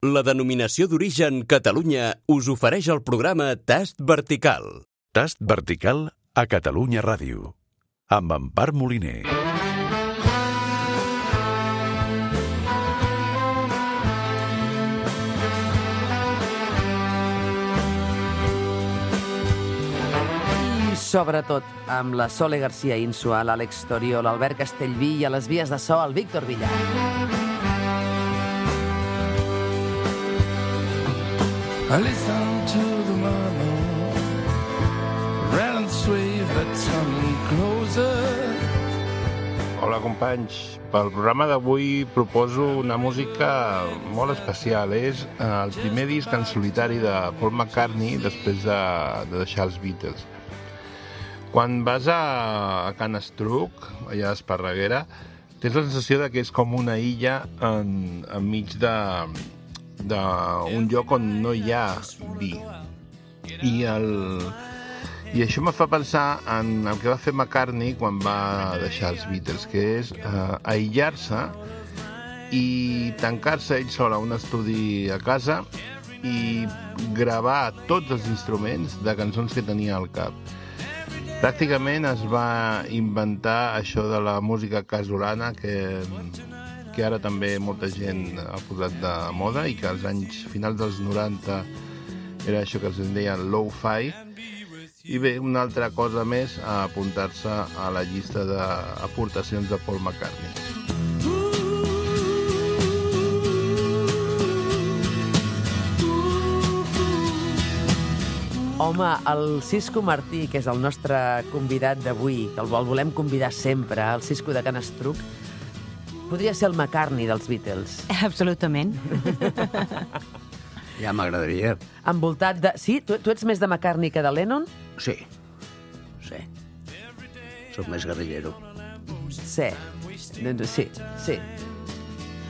La denominació d'origen Catalunya us ofereix el programa Tast Vertical. Tast Vertical a Catalunya Ràdio, amb Empar Moliner. Sobretot amb la Sole García Insua, l'Àlex Torio, l'Albert Castellví i a les vies de so el Víctor Villar. I listen to the murmur, rattle and sway the tongue closer. Hola companys, pel programa d'avui proposo una música molt especial. És el primer disc en solitari de Paul McCartney després de deixar els Beatles. Quan vas a Can Estruc, allà a Esparreguera, tens la sensació que és com una illa enmig d'un lloc on no hi ha vi. I això me fa pensar en el que va fer McCartney quan va deixar els Beatles, que és aïllar-se i tancar-se ell sol a un estudi a casa i gravar tots els instruments de cançons que tenia al cap. Pràcticament es va inventar això de la música casolana que ara també molta gent ha posat de moda i que als finals dels 90 era això que es deia lo-fi. I bé, una altra cosa més a apuntar-se a la llista d'aportacions de Paul McCartney. Home, el Cisco Martí, que és el nostre convidat d'avui, que el volem convidar sempre, el Cisco de Can Estruc, podria ser el McCartney dels Beatles. Absolutament. Ja m'agradaria. Envoltat de... Sí? Tu ets més de McCartney que de Lennon? Sí. Soc més guerrillero. Sí.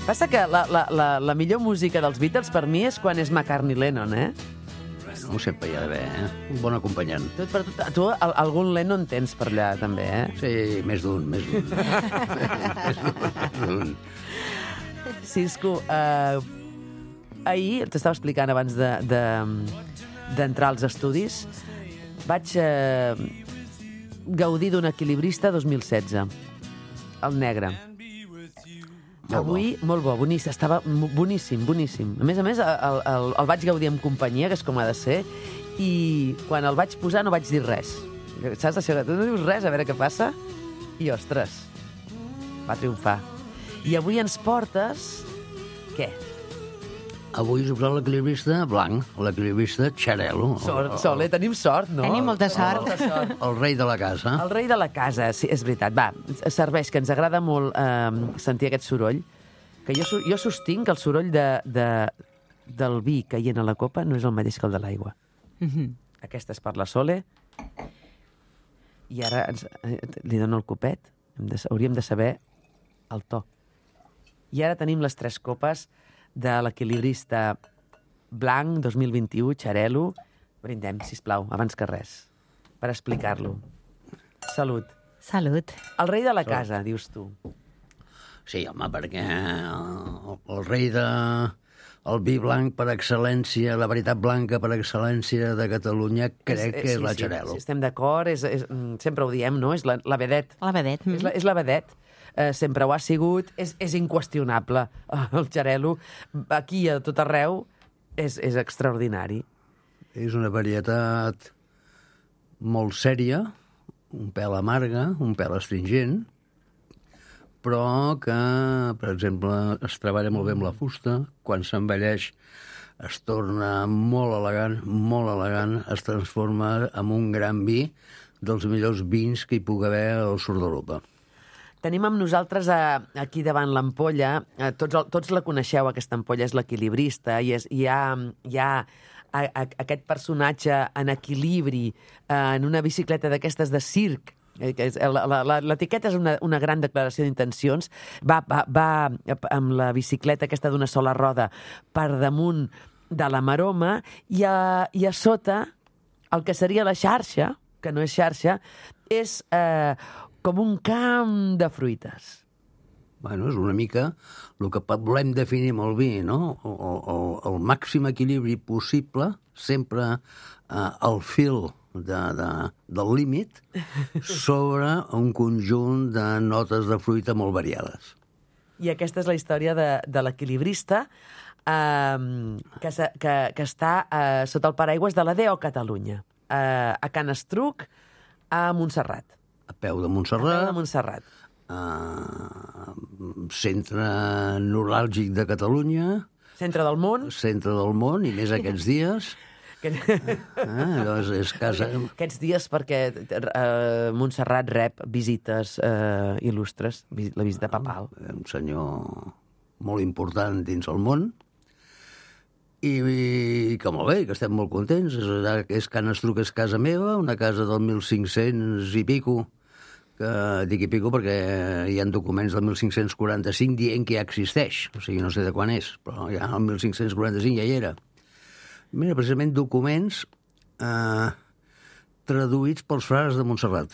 Passa que la millor música dels Beatles per mi és quan és McCartney-Lennon, eh? Bueno, sempre hi ha d'haver, un bon acompanyant. Tu algun Lennon tens per allà, també, eh? Sí, més d'un. Cisco, ahir, t'estava explicant abans d'entrar als estudis, vaig gaudir d'un Equilibrista 2016, el negre. Avui, molt bo, boníssim, estava boníssim. A més, el vaig gaudir amb companyia, que és com ha de ser, i quan el vaig posar no vaig dir res. Saps això? Tu no dius res, a veure què passa? I, ostres, va triomfar. I avui ens portes... Què? Avui us he posat l'equilibrista blanc, l'equilibrista Xarel·lo. Sole, tenim sort, no? Tenim molta sort. El rei de la casa. El rei de la casa, sí, és veritat. Va, serveix, que ens agrada molt sentir aquest soroll, que jo sostinc que el soroll del vi caient a la copa no és el mateix que el de l'aigua. Aquesta és per la Sole. I ara li dono el copet. Hauríem de saber el to. I ara tenim les 3 copes de l'equilibrista blanc 2021, Xarel·lo. Brindem, sisplau, abans que res, per explicar-lo. Salut. Salut. El rei de la casa, dius tu. Sí, home, perquè el rei el vi blanc per excel·lència, la veritat blanca per excel·lència de Catalunya, crec que és la Xarel·lo. Sí, estem d'acord, sempre ho diem, no? És la vedet. La vedet. És la vedet. Sempre ho ha sigut, és inqüestionable. El Xarel·lo, aquí a tot arreu, és extraordinari. És una varietat molt sèria, un pèl amarga, un pèl astringent, però que, per exemple, es treballa molt bé amb la fusta, quan s'envelleix es torna molt elegant, es transforma en un gran vi dels millors vins que hi pugui haver al sud d'Europa. Tenim amb nosaltres aquí davant l'ampolla, tots la coneixeu, aquesta ampolla és l'equilibrista, i hi ha aquest personatge en equilibri, en una bicicleta d'aquestes de circ. L'etiqueta és una gran declaració d'intencions. Va amb la bicicleta aquesta d'una sola roda per damunt de la maroma i a sota el que seria la xarxa, que no és xarxa, és com un camp de fruites. Bueno, és una mica el que volem definir amb el vi, no? El màxim equilibri possible, sempre al fil del límit, sobre un conjunt de notes de fruita molt variades. I aquesta és la història de l'equilibrista que està sota el paraigües de la DO Catalunya, a Can Estruc, a Montserrat. A peu de A peu Montserrat, de Montserrat. centre neuràlgic de Catalunya, Centre del món. centre del món, i més aquests dies. Doncs és casa... Aquests dies perquè Montserrat rep visites il·lustres, la visita papal. Un senyor molt important dins el món, i que molt bé, que estem molt contents. És Can Estruc, és casa meva, una casa del 1500 i pico, que dic i pico perquè hi ha documents del 1545 dient que ja existeix, o sigui, no sé de quan és, però ja el 1545 ja hi era. Mira, precisament documents traduïts pels frares de Montserrat.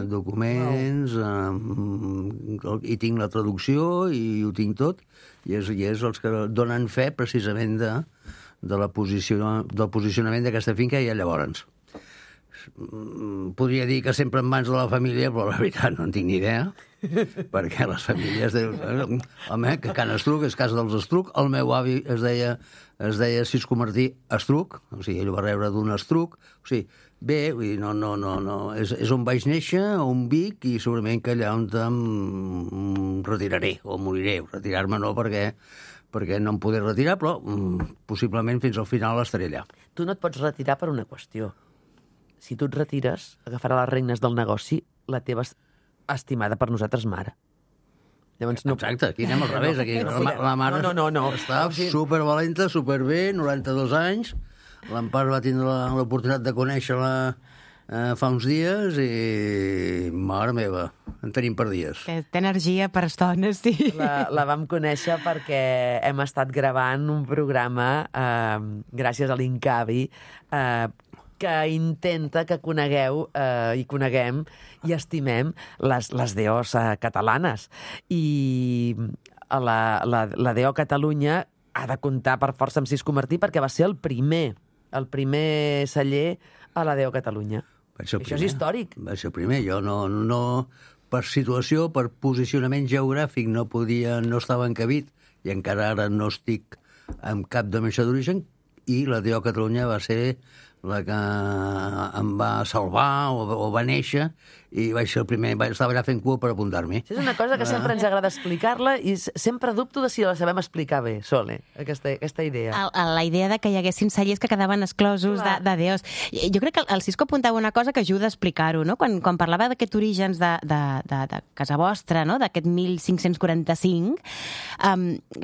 Documents, i tinc la traducció i ho tinc tot, i és els que donen fe precisament del posicionament d'aquesta finca ja llavors. Podria dir que sempre en mans de la família, però la veritat no en tinc ni idea, perquè les famílies diuen, home, que Can Estruc és casa dels Estruc, el meu avi es deia Cisco Martí Estruc, o sigui, ell va rebre d'un Estruc, o sigui, bé, vull dir, no, és on vaig néixer, on vic, i segurament que allà on em retiraré, o moriré. Retirar-me no, perquè no em podré retirar, però possiblement fins al final estaré allà. Tu no et pots retirar per una qüestió. Si tu et retires, agafarà les regnes del negoci la teva estimada per nosaltres mare. Llavors, no... Exacte, aquí anem al revés. Aquí. La mare no. està supervalenta, superbé, 92 anys. L'Empar va tindre l'oportunitat de conèixer-la fa uns dies i, mare meva, en tenim per dies. Que té energia per estones, sí. La vam conèixer perquè hem estat gravant un programa, gràcies a l'Incavi, que intenta que conegueu i coneguem i estimem les DOs catalanes. I la DO Catalunya ha de comptar per força amb Cisco Martí perquè va ser el primer celler a la DO Catalunya. Això és històric. Va ser el primer. Jo no per situació, per posicionament geogràfic, no estava encabit, i encara ara no estic en cap denominació d'origen, i la DO Catalunya va ser la que em va salvar o va néixer, i vaig ser el primer, estava allà fent cua per apuntar-m'hi. És una cosa que sempre ens agrada explicar-la i sempre dubto de si la sabem explicar bé, Sole, aquesta idea. La idea de que hi haguessin cellers que quedaven exclosos de DOs. Jo crec que el Cisco apuntava una cosa que ajuda a explicar-ho, no? Quan parlava d'aquests orígens de casa vostra, no? D'aquest 1545,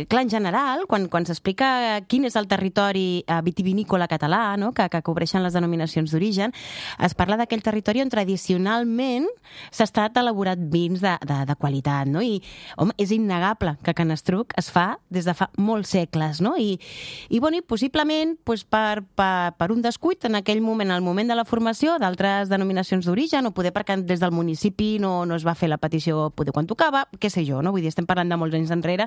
clar, en general, quan s'explica quin és el territori vitivinícola català, no? que cobreixen les denominacions d'origen, es parla d'aquell territori on tradicionalment s'ha estat elaborat vins de qualitat, no? I, home, és innegable que Can Estruc es fa des de fa molts segles, no? I possiblement per un descuit en aquell moment, al moment de la formació d'altres denominacions d'origen, o poder perquè des del municipi no es va fer la petició poder quan tocava, què sé jo, no? Vull dir, estem parlant de molts anys enrere,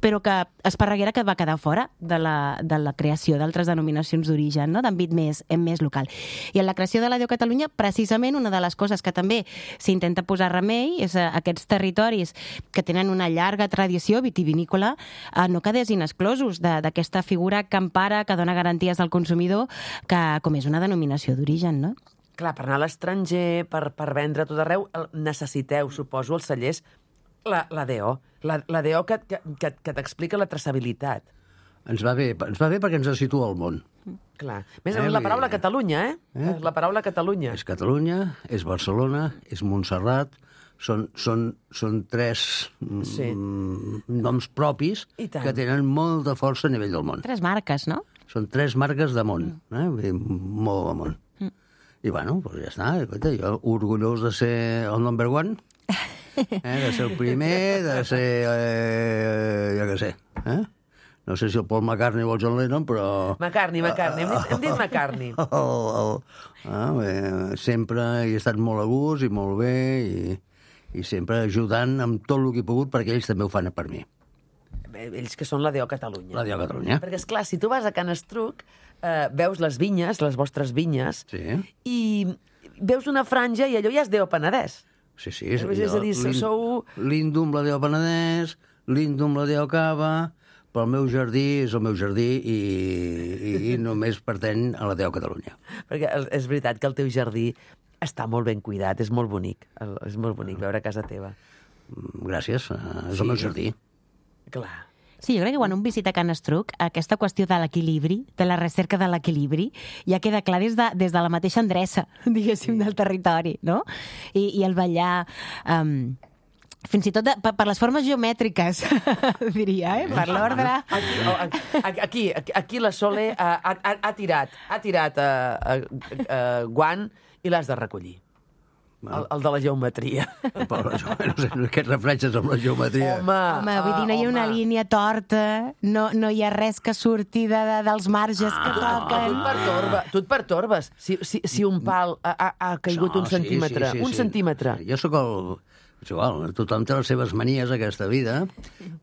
però que Esparreguera que va quedar fora de la creació d'altres denominacions d'origen, no? D'àmbit més local. I en la creació de la DO Catalunya, precisament, una de les coses que també s'intenta posar remei és aquests territoris que tenen una llarga tradició vitivinícola no quedessin exclosos d'aquesta figura que empara, que dona garanties al consumidor, com és una denominació d'origen, no? Clar, per anar a l'estranger, per vendre a tot arreu, necessiteu, suposo, els cellers, la DO. La DO que t'explica la traçabilitat. Ens va bé perquè ens situa al món. Clar. Més la paraula Catalunya, La paraula Catalunya. És Catalunya, és Barcelona, és Montserrat, són tres noms propis que tenen molta força a nivell del món. Tres marques, no? Són tres marques de món, molt de món. I bueno, doncs ja està, jo orgullós de ser el number one, de ser el primer, de ser, jo què sé, no sé si el Paul McCartney o el John Lennon, però... McCartney, hem dit McCartney. Sempre he estat molt a gust i molt bé, i sempre ajudant amb tot el que he pogut perquè ells també ho fan per mi. Ells que són la DO Catalunya. La DO Catalunya. Perquè, esclar, si tu vas a Can Estruc, veus les vinyes, les vostres vinyes, Sí. i veus una franja i allò ja és DO Penedès. Sí. És a dir, sou... L'Indum, la DO Penedès, l'Indum, la DO Cava, però el meu jardí és el meu jardí i només pertany a la DO Catalunya. Perquè és veritat que el teu jardí està molt ben cuidat, és molt bonic. És molt bonic veure a casa teva. Gràcies, és el meu jardí. Clar. Sí, jo crec que quan un visita Can Estruc, aquesta qüestió de l'equilibri, de la recerca de l'equilibri, ja queda clar des de la mateixa endreça, diguéssim, del territori, no? I el ballar... fins i tot per les formes geomètriques, diria, per l'ordre. Aquí la Sole ha tirat guant i l'has de recollir. El de la geometria. Però no sé, aquests reflexes amb la geometria. Home, vull dir, no hi ha una línia torta, no hi ha res que surti dels marges que toquen. Tu et pertorbes. Si un pal ha caigut un centímetre, un centímetre. Jo sóc el... És igual, tothom té les seves manies a aquesta vida,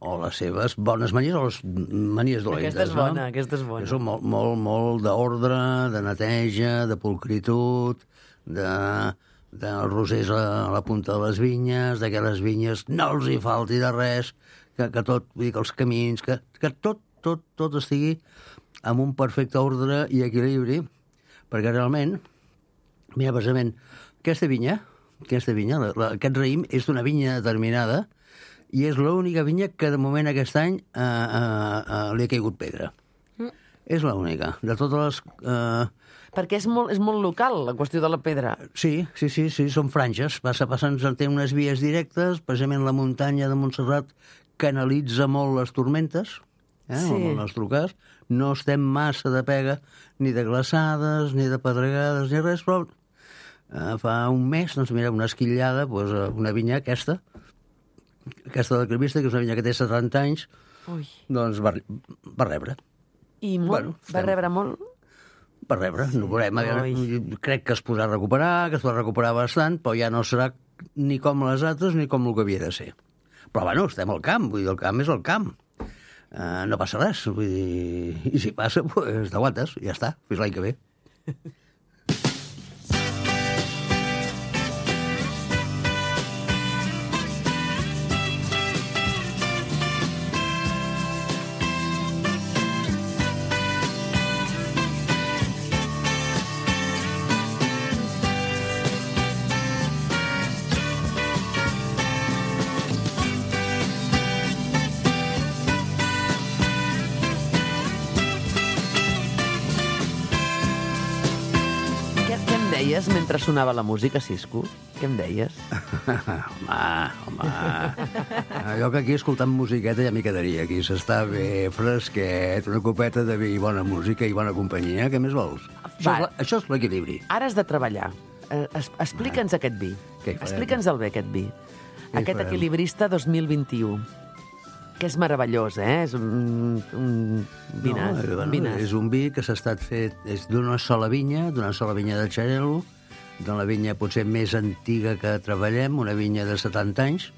o les seves bones manies o les manies dolentes. Aquesta és bona. Jo soc molt d'ordre, de neteja, de pulcritud, de rosers a la punta de les vinyes, que les vinyes no els hi falti de res, que tot, vull dir, que els camins, que tot estigui amb un perfecte ordre i equilibri, perquè realment, mira, precisament, aquesta vinya, aquest raïm és d'una vinya determinada i és l'única vinya que de moment aquest any li ha caigut pedra. És l'única. De totes les... Perquè és molt local, la qüestió de la pedra. Sí, són franges. Té unes vies directes, precisament la muntanya de Montserrat canalitza molt les tormentes, en el nostre cas. No estem massa de pega, ni de glaçades, ni de pedregades, ni res, però fa un mes, doncs mira, una esquillada, una vinya aquesta de Crevista, que és una vinya que té 70 anys, doncs va rebre. I molt? Va rebre molt? Va rebre, no veurem. Crec que es podrà recuperar, que es pot recuperar bastant, però ja no serà ni com les altres ni com el que havia de ser. Però, bueno, estem al camp, vull dir, el camp és el camp. No passa res, vull dir, i si passa, doncs t'aguantes, ja està, fins l'any que ve. Mentre sonava la música, Cisco? Què em deies? Home. Jo que aquí escoltant musiqueta ja m'hi quedaria. Aquí s'està bé, fresquet, una copeta de vi i bona música i bona companyia. Què més vols? Això és l'equilibri. Ara has de treballar. Explica'ns aquest vi. Explica'ns el bé, aquest vi. Aquest equilibrista 2021. Que és meravellós, És un vinàs. És un vi que s'ha estat fet d'una sola vinya de Xarel·lo, d'una vinya potser més antiga que treballem, una vinya de 70 anys,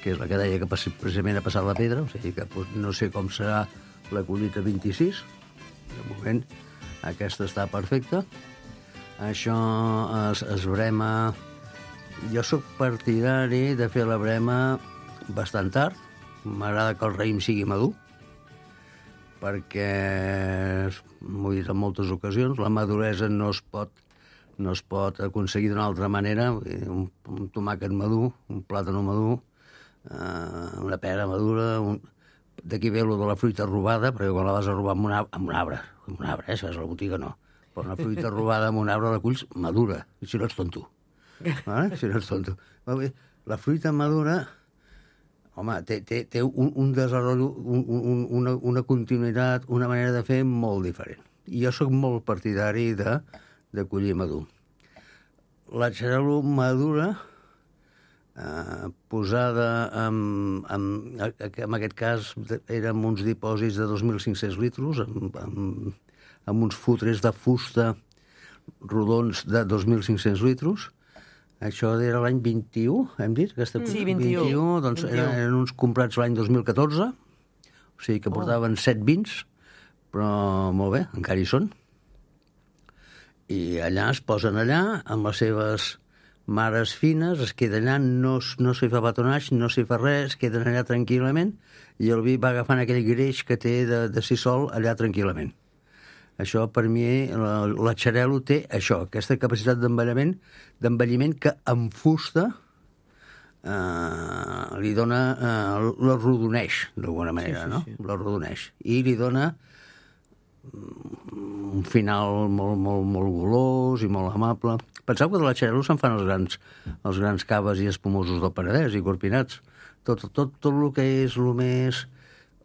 que és la que deia que precisament ha passat la pedra, o sigui que no sé com serà la collita 26. De moment, aquesta està perfecta. Això es brema... Jo sóc partidari de fer la brema bastant tard. M'agrada que el raïm sigui madur, perquè, m'ho he dit en moltes ocasions, la maduresa no es pot aconseguir d'una altra manera. Un tomàquet madur, un plàtan madur, una pera madura... D'aquí ve lo de la fruita robada, perquè quan la vas a robar amb un arbre, si vas a la botiga no, però una fruita robada amb un arbre la culls madura, si no ets tonto. Si no ets tonto. La fruita madura... Home, té un desenvolupament, una continuïtat, una manera de fer molt diferent. I jo sóc molt partidari de collir madur. La Xarel·lo madura, posada en aquest cas eren uns dipòsits de 2.500 litres, amb uns fotres de fusta rodons de 2.500 litres, Això era l'any 21, hem dit? Sí, 21. Doncs 21. eren uns comprats l'any 2014, o sigui que portaven 7 vins, però molt bé, encara hi són. I allà es posen allà, amb les seves mares fines, es queden allà, no s'hi fa batonatge, no s'hi fa res, es queden allà tranquil·lament, i el vi va agafant aquell greix que té de si sol allà tranquil·lament. Això, per mi, la Xarel·lo té això, aquesta capacitat d'envelliment que amb fusta li dona, l'arrodoneix, d'alguna manera, no? L'arrodoneix. I li dona un final molt golós i molt amable. Penseu que de la Xarel·lo se'n fan els grans caves i espumosos del Penedès i corpinats. Tot el que és el més...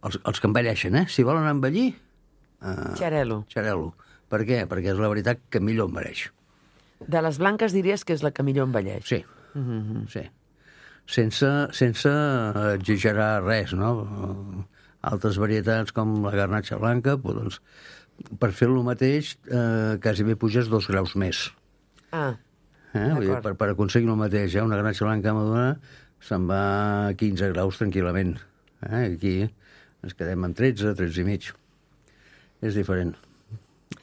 Els que envelleixen, Si volen envellir... Xarel·lo. Xarel·lo. Per què? Perquè és la veritat que millor envelleix. De les blanques diries que és la que millor envelleix. Sí, sí. Sense exagerar res, no? Altres varietats com la garnatxa blanca, doncs, per fer el mateix, quasi bé puges 2 graus més. Vull dir, per aconseguir el mateix, una garnatxa blanca madura se'n va a 15 graus tranquil·lament. Aquí ens quedem en 13 i mig. És diferent.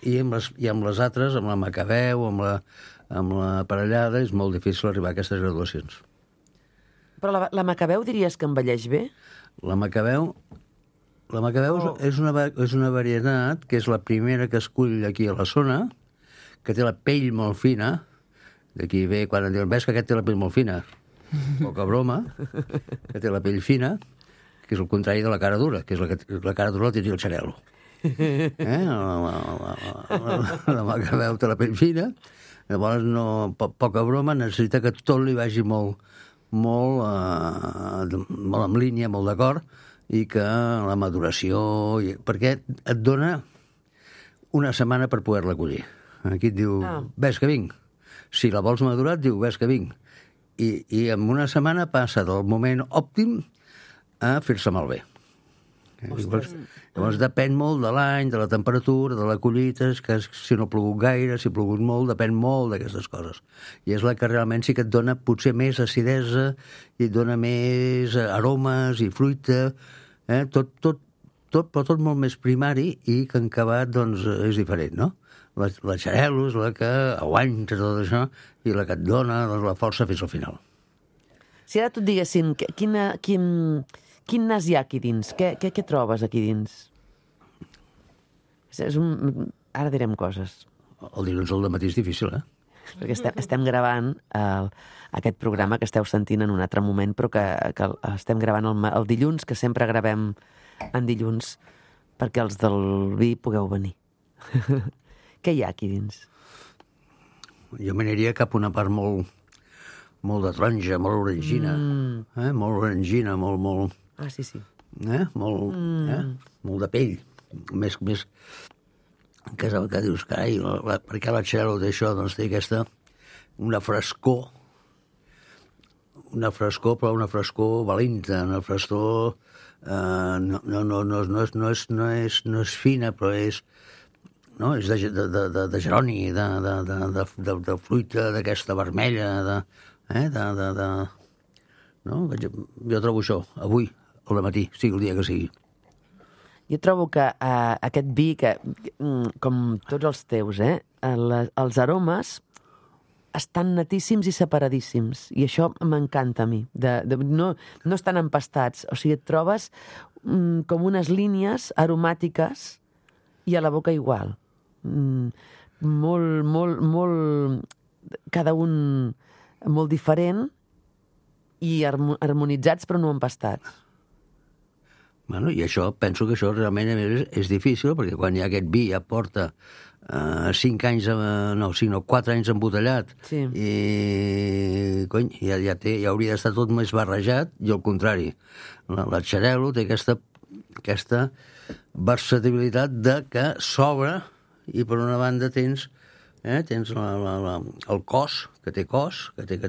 I amb les altres, amb la Macabeu, amb la parellada, és molt difícil arribar a aquestes graduacions. Però la Macabeu diries que envelleix bé? La Macabeu és una varietat que és la primera que escull aquí a la zona, que té la pell molt fina. D'aquí ve quan em diuen, ves que aquest té la pell molt fina. Poca broma, que té la pell fina, que és el contrari de la cara dura, que és la cara dura la tindria el Xarel·lo. La Macabeu té la pell fina, llavors poca broma, necessita que tot li vagi molt en línia, molt d'acord, i que la maduració... Perquè et dona una setmana per poder-la collir. Aquí et diu, ves que vinc. Si la vols madurar, et diu, ves que vinc. I en una setmana passa del moment òptim a fer-se malbé. Llavors depèn molt de l'any, de la temperatura, de la collita, que si no ha plogut gaire, si ha plogut molt, depèn molt d'aquestes coses. I és la que realment sí que et dona potser més acidesa i et dona més aromes i fruita, però tot molt més primari i que en acabat doncs, és diferent, no? La Xarel·lo és la que aguanta tot això i la que et dona la força fins al final. Si ara tu et diguessin, quin nas hi ha aquí dins? Què trobes aquí dins? Ara direm coses. El dilluns al matí és difícil, Perquè estem gravant aquest programa que esteu sentint en un altre moment, però que estem gravant el dilluns, que sempre gravem en dilluns, perquè els del vi pugueu venir. Què hi ha aquí dins? Jo m'aniria cap a una part molt de taronja, molt orangina. Molt orangina, molt... Ah, sí. Molt de pell. Més que dius, carai, per què la Xarel·lo té això? Doncs té aquesta, una frescor, però una frescor valenta, una frescor no és fina, però és de geroni, de fruita d'aquesta vermella, jo trobo això, avui, al matí, sigui el dia que sigui. Jo trobo que aquest vi, com tots els teus, els aromes estan netíssims i separadíssims. I això m'encanta a mi. No estan empastats. O sigui, et trobes com unes línies aromàtiques i a la boca igual. Molt... Cada un molt diferent i harmonitzats però no empastats. Bueno, i penso que això realment és difícil, perquè quan hi ha aquest vi ja porta 5 anys, no, 4 anys embotellat, sí. I ja hauria d'estar tot més barrejat, i al contrari. La Xarel·lo té aquesta versatilitat de que s'obre, i per una banda tens el cos, que té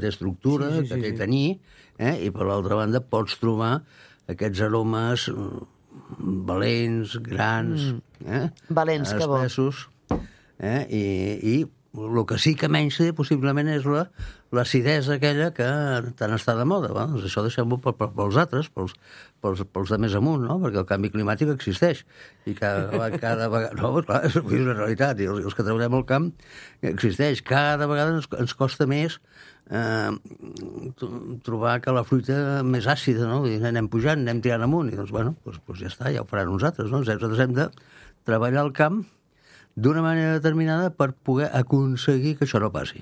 estructura, que té taní, i per l'altra banda pots trobar aquests aromes valents, grans, valents, que bo. espessos, i El que sí que menys té, possiblement, és l'acidesa aquella que tant està de moda. Va? Doncs això deixem-ho pels altres, pels de més amunt, no? Perquè el canvi climàtic existeix. I cada vegada... No, clar, és una realitat. I els que treballem al camp existeix. Cada vegada ens costa més trobar que la fruita més àcida, no? I anem pujant, anem tirant amunt. I doncs, bueno, doncs ja està, ja ho faran uns altres, no? Nosaltres hem de treballar al camp d'una manera determinada per poder aconseguir que això no passi.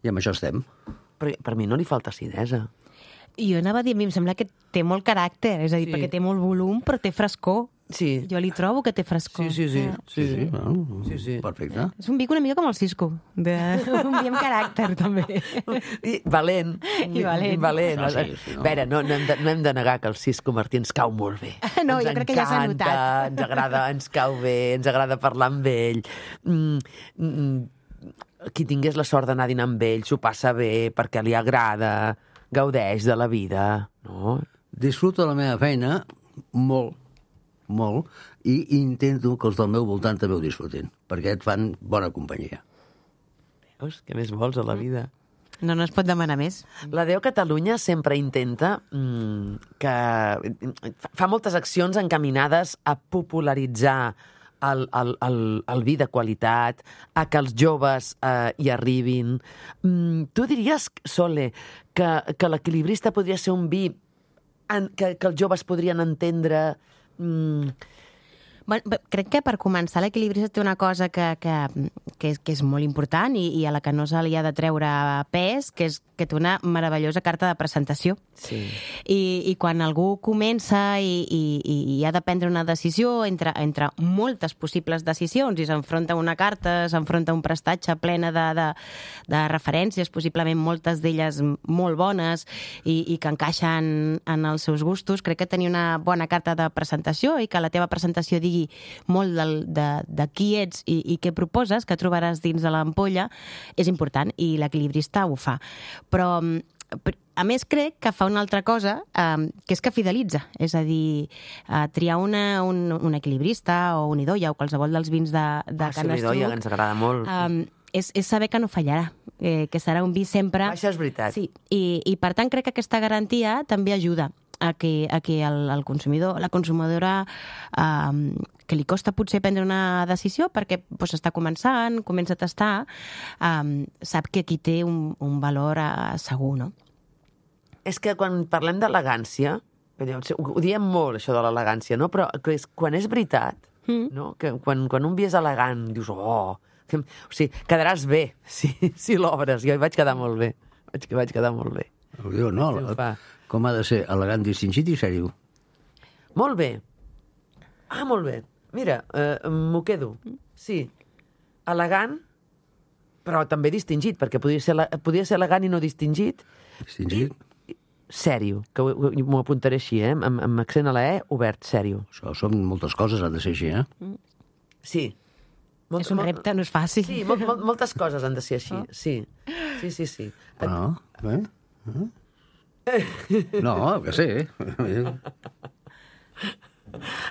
I amb això estem. Però per mi no li falta acidesa. Jo anava a dir, a mi em sembla que té molt caràcter, és a dir, perquè té molt volum, però té frescor. Sí. Jo li trobo que té frescor. Sí. Bueno, perfecte. És un vi una mica com el Cisco. Un vi amb caràcter, també. I valent. I valent. No. A veure, no hem de negar que el Cisco Martí ens cau molt bé. No, jo crec que ja s'ha notat. Ens agrada, ens cau bé, ens agrada parlar amb ell. Qui tingués la sort d'anar a dinar amb ell s'ho passa bé perquè li agrada, gaudeix de la vida, no? Disfruto la meva feina molt, i intento que els del meu voltant també ho disfrutin, perquè et fan bona companyia. Veus? Què més vols a la vida? No es pot demanar més. La Déu Catalunya sempre intenta que... Fa moltes accions encaminades a popularitzar el vi de qualitat, a que els joves hi arribin. Tu diries, Sole, que l'equilibrista podria ser un vi que els joves podrien entendre... Bueno, crec que per començar l'equilibrista té una cosa que és molt important i a la que no se li ha de treure pes, que és que té una meravellosa carta de presentació. Sí. I quan algú comença i ha de prendre una decisió entre moltes possibles decisions i s'enfronta a una carta, s'enfronta a un prestatge plena de referències, possiblement moltes d'elles molt bones i que encaixen en els seus gustos, crec que tenir una bona carta de presentació i que la teva presentació digui molt de qui ets i què proposes, que trobaràs dins de l'ampolla, és important i l'equilibrista ho fa. Però, a més, crec que fa una altra cosa, que és que fidelitza. És a dir, triar un equilibrista o un idoia o qualsevol dels vins de Can Estruc... idoia, que ens agrada molt. És saber que no fallarà, que serà un vi sempre... Això és veritat. Sí, i per tant crec que aquesta garantia també ajuda a que el consumidor, la consumidora, que li costa potser prendre una decisió perquè està començant, comença a tastar, sap que aquí té un valor segur, no? És que quan parlem d'elegància, ho diem molt, això de l'elegància, no? Però quan és veritat, no? Que quan un vi és elegant, dius, o sigui, quedaràs bé si l'obres. Jo hi vaig quedar molt bé. Vaig quedar molt bé. Diu, no, com ha de ser elegant, distingit i sèrio? Molt bé. Molt bé. Mira, m'ho quedo. Sí, elegant, però també distingit, perquè podia ser elegant i no distingit. Distingit? Sèrio, que m'ho apuntaré així, amb accent a la E, obert, sèrio. Això són moltes coses, han de ser així, Sí. És un repte, no és fàcil. Sí, moltes coses han de ser així, sí. Sí. Bé? No, que sí.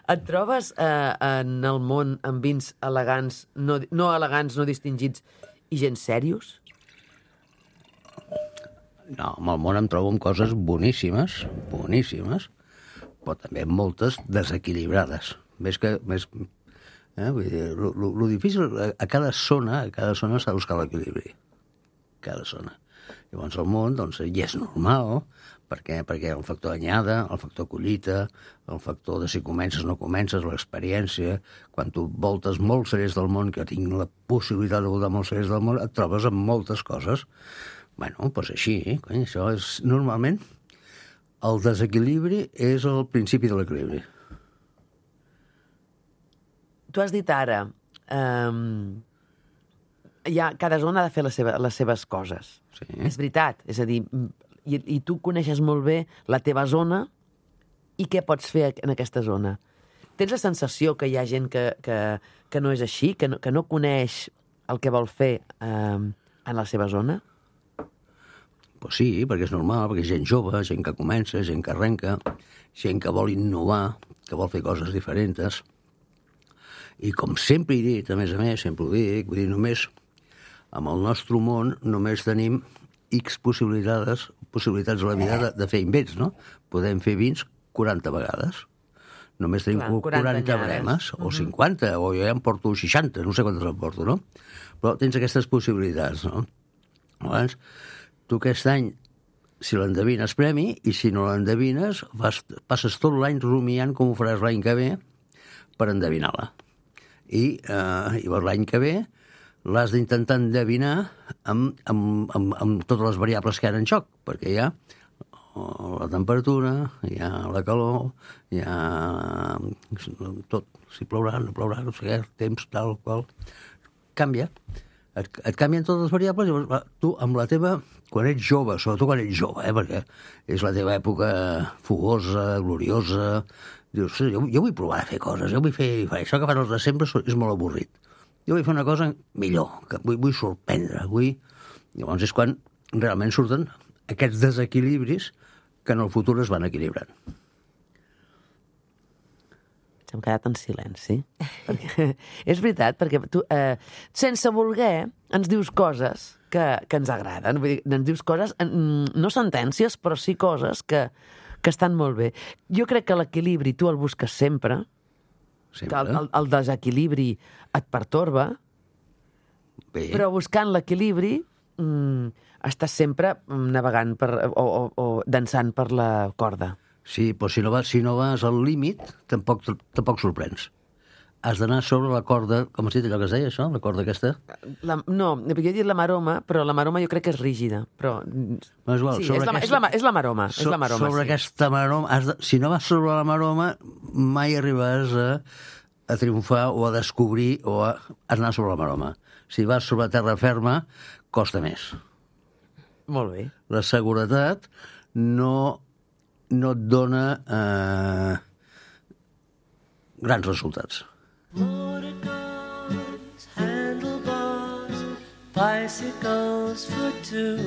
Et trobes en el món amb vins elegants, no elegants, no distingits, i gens serios? No, amb el món em trobo amb coses boníssimes, però també moltes desequilibrades. Vull dir, lo difícil, a cada zona s'ha de buscar l'equilibri. Cada zona. Llavors el món, doncs, ja és normal, perquè el factor anyada, el factor collita, el factor de si comences o no comences, l'experiència, quan tu voltes molts cerers del món, que tinc la possibilitat de voltar molts cerers del món, et trobes amb moltes coses. Bueno, doncs així, això és normalment el desequilibri és el principi de l'equilibri. Tu has dit ara, cada zona ha de fer les seves coses. Sí. És veritat, és a dir, i tu coneixes molt bé la teva zona i què pots fer en aquesta zona. Tens la sensació que hi ha gent que no és així, que no coneix el que vol fer en la seva zona? Pues sí, perquè és normal, perquè és gent jove, gent que comença, gent que arrenca, gent que vol innovar, que vol fer coses diferents. I com sempre he dit, a més, sempre ho dic, vull dir, només amb el nostre món només tenim X possibilitats a la vida de fer invents, no? Podem fer vins 40 vegades. Només tenim 40 bremes, o 50, o jo ja em porto 60, no sé quantes em porto, no? Però tens aquestes possibilitats, no? Llavors, tu aquest any, si l'endevines, premi, i si no l'endevines, passes tot l'any rumiant com ho faràs l'any que ve per endevinar-la. I llavors l'any que ve l'has d'intentar endevinar amb totes les variables que hi ha en joc, perquè hi ha la temperatura, hi ha la calor, hi ha tot, si plourà, no plourà, no sé què, temps, tal, qual. Canvia. Et canvien totes les variables, llavors tu amb la teva, quan ets jove, sobretot quan ets jove, perquè és la teva època fogosa, gloriosa, dius, jo vull provar a fer coses, jo vull fer això que fan els de sempre és molt avorrit. Jo vull fer una cosa millor, que vull sorprendre, Llavors és quan realment surten aquests desequilibris que en el futur es van equilibrant. Hem quedat en silenci. Perquè, és veritat, perquè tu, sense voler, ens dius coses que ens agraden. Vull dir, ens dius coses, no sentències, però sí coses que estan molt bé. Jo crec que l'equilibri tu el busques sempre. Que el desequilibri et pertorba, però buscant l'equilibri estàs sempre navegant o dansant per la corda. Sí, però si no vas al límit, tampoc sorprens. Has d'anar sobre la corda, com has dit allò que es deia, això? La corda aquesta? No, jo he dit la maroma, però la maroma jo crec que és rígida. Però... No, és igual, sí, és la maroma. Sobre aquesta maroma, si no vas sobre la maroma, mai arribaràs a triomfar o a descobrir o a anar sobre la maroma. Si vas sobre terra ferma, costa més. Molt bé. La seguretat no et dona grans resultats. Motorcars, handlebars, bicycles for two,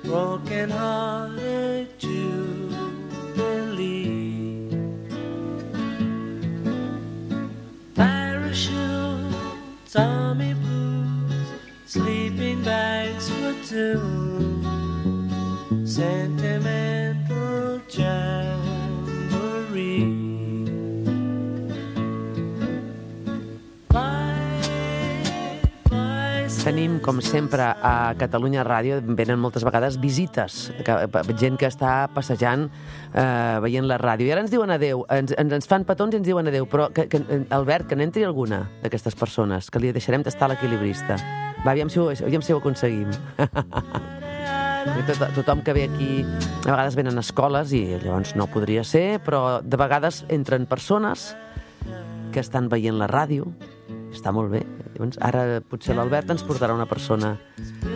broken-hearted Jubilee, parachutes, army blues, sleeping bags for two, sentimental jamboree. Tenim, com sempre, a Catalunya Ràdio, venen moltes vegades visites, gent que està passejant, veient la ràdio. I ara ens diuen adeu, ens fan petons i ens diuen adeu, però, Albert, que n'entri alguna d'aquestes persones, que li deixarem tastar l'equilibrista. Va, aviam si ho aconseguim. Tothom que ve aquí, a vegades venen a escoles i llavors no podria ser, però de vegades entren persones que estan veient la ràdio. Està molt bé. Llavors, ara potser l'Albert ens portarà una persona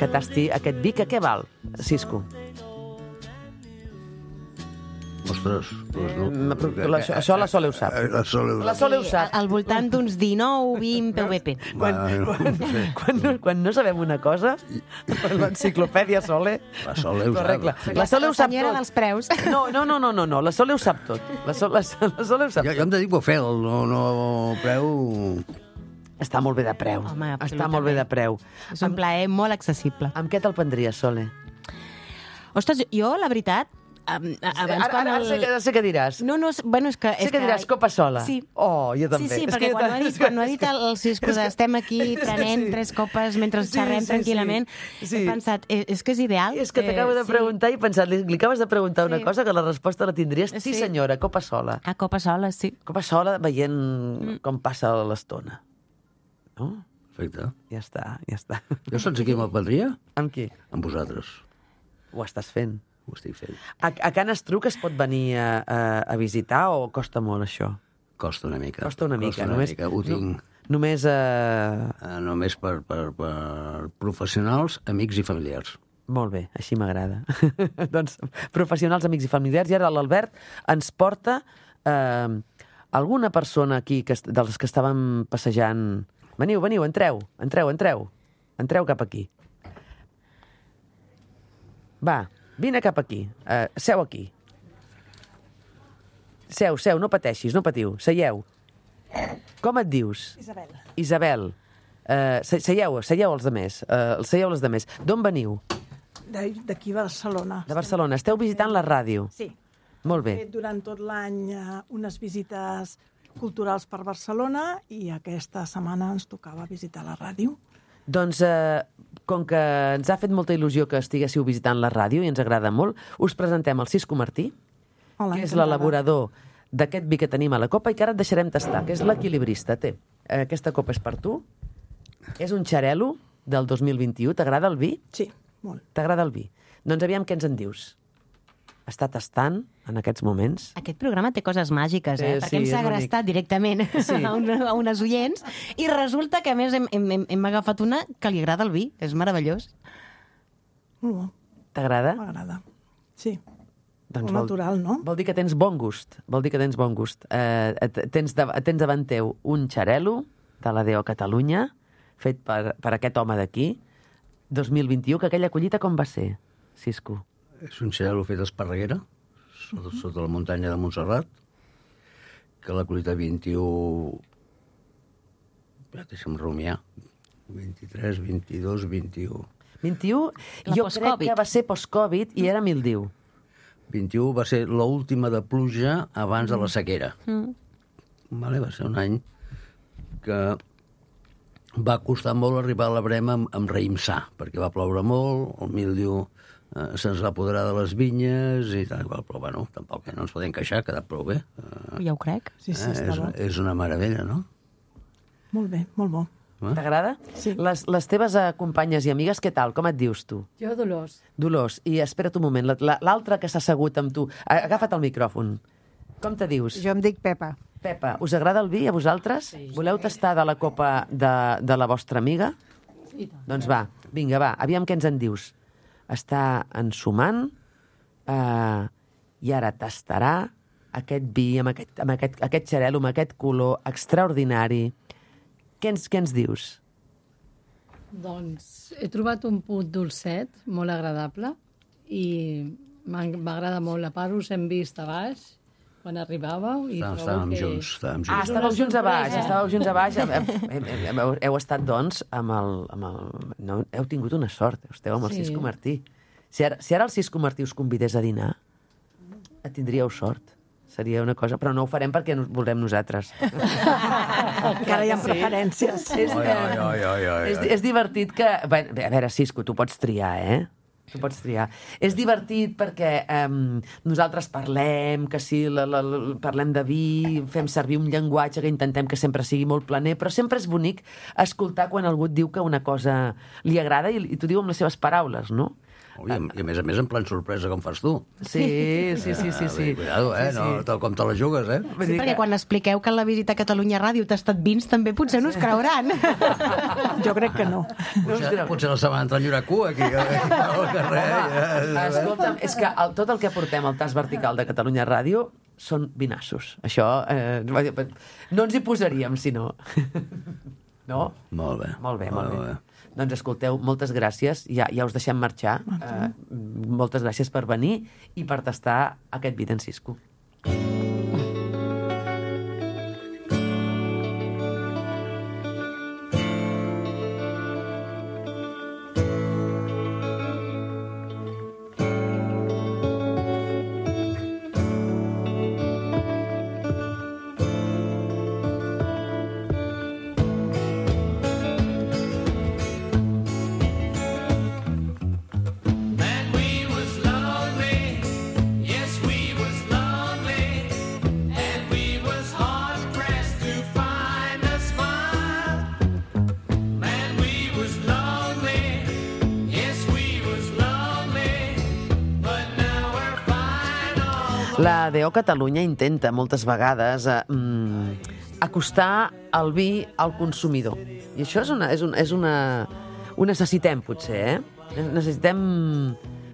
que tasti aquest vi, que què val, Cisco? Ostres, no. Això la Sole ho sap. La Sole ho sap. Al voltant d'uns 19, 20 PVP. Quan no sabem una cosa, l'enciclopèdia Sole... La Sole ho sap. La Sole ho sap senyora tot. dels preus. No, la Sole ho sap tot. La Sole ho sap tot. Jo em dedico a fer no preu... Està molt bé de preu. Home, està molt bé de preu. És un plaer molt accessible. Amb què te'l prendries, Sole? Ostres, jo, la veritat, Ara sé què diràs. No, bueno, és que... Sé que diràs copa sola. Sí. Oh, jo també. Sí, perquè quan ho ha dit el Cisco estem aquí prenent 3 copes mentre xerrem tranquil·lament, he pensat, és que és ideal. És que t'acabo de preguntar i he pensat, li acabes de preguntar una cosa que la resposta la tindries. Sí, senyora, copa sola. Copa sola, sí. Copa sola veient com passa l'estona. No? Perfecte. Ja està. Jo saps aquí me'l prendria? Amb qui? Amb vosaltres. Ho estàs fent. Ho estic fent. A Can Estruc es pot venir a visitar o costa molt, això? Costa una mica. Costa una mica. Ho tinc... Només... Només per professionals, amics i familiars. Molt bé, així m'agrada. Doncs professionals, amics i familiars. I ara l'Albert ens porta alguna persona aquí dels que estàvem passejant. Veniu, entreu. Entreu cap aquí. Va, vine cap aquí. Seu aquí. Seu, no pateixis, no patiu. Seieu. Com et dius? Isabel. Isabel. Seieu els demés. Seieu els demés. D'on veniu? D'aquí a Barcelona. De Barcelona. Esteu visitant la ràdio? Sí. Molt bé. He fet durant tot l'any unes visites culturals per Barcelona i aquesta setmana ens tocava visitar la ràdio. Doncs, com que ens ha fet molta il·lusió que estiguéssiu visitant la ràdio i ens agrada molt, us presentem el Cisco Martí, Hola, que és encantada. l'elaborador d'aquest vi que tenim a la copa i que ara et deixarem tastar, que és l'equilibrista. Té, aquesta copa és per tu. És un xarel·lo del 2021. T'agrada el vi? Sí, molt. T'agrada el vi? Doncs aviam què ens en dius. Està tastant en aquests moments. Aquest programa té coses màgiques, perquè hem és segrestat directament a unes oients i resulta que, a més, hem agafat una que li agrada el vi. És meravellós. Molt bo. T'agrada? M'agrada. Sí. Doncs Molt natural, no? Vol dir que tens bon gust. Vol dir que tens bon gust. Tens davant teu un xarel·lo de la DO Catalunya, fet per aquest home d'aquí, 2021, que aquella collita com va ser, Cisco? És un xarel·lo fet a Esparreguera, sota la muntanya de Montserrat, que la collita 21... Ja, deixa'm rumiar. 23, 22, 21... 21, La jo crec post-Covid. que va ser post-Covid i era mildiu. 21 va ser l'última de pluja abans de la sequera. Vale, va ser un any que va costar molt arribar a la brema amb raïm sa, perquè va ploure molt, el mildiu se'ns va apoderar de les vinyes i tal, però bueno, tampoc no ens podem queixar, ha quedat prou bé. Ja ho crec. Sí, sí, està bo. És una meravella, no? Molt bé, molt bo. T'agrada? Sí. Les teves companyes i amigues, què tal? Com et dius tu? Jo, Dolors. Dolors, i espera't un moment, l'altra que s'ha assegut amb tu, agafa't el micròfon. Com te dius? Jo em dic Pepa. Pepa, us agrada el vi a vosaltres? Sí. Voleu tastar de la copa de la vostra amiga? I tant. Doncs va, vinga, va, aviam què ens en dius. Està ensumant i ara tastarà aquest vi amb aquest xarel·lo, amb aquest color extraordinari. Què ens dius? Doncs he trobat un punt dolcet, molt agradable, i m'agrada molt. A part, us hem vist a baix, quan arribàveu, i Estàvem junts. Estàveu junts a baix, Heu estat, doncs, no, heu tingut una sort, esteu amb el Sí. Cisco Martí. Si ara el Cisco Martí us convidés a dinar, tindríeu sort. Seria una cosa, però no ho farem perquè volem nosaltres. Encara hi ha preferències. És divertit que... Bé, a veure, Cisco, tu pots triar, Tu pots triar. És divertit perquè nosaltres parlem, que sí, parlem de vi, fem servir un llenguatge que intentem que sempre sigui molt planer, però sempre és bonic escoltar quan algú et diu que una cosa li agrada i t'ho diu amb les seves paraules, no? I a més, en plan sorpresa, com fas tu. Sí. Cuidado, no, tal com te la jugues, Sí, perquè quan expliqueu que en la visita a Catalunya Ràdio tastat vins, també potser no us creuran. Jo crec que no. Potser la setmana entra a cua aquí al carrer. Escolta'm, és que tot el que portem al tas vertical de Catalunya Ràdio són vinassos. Això no ens hi posaríem, si no. No? Molt bé. Molt bé. Doncs escolteu, moltes gràcies. Ja us deixem marxar. Moltes gràcies per venir i per tastar aquest vi d'en Cisco. La DO Catalunya intenta moltes vegades acostar el vi al consumidor. I això ho necessitem, potser, Necessitem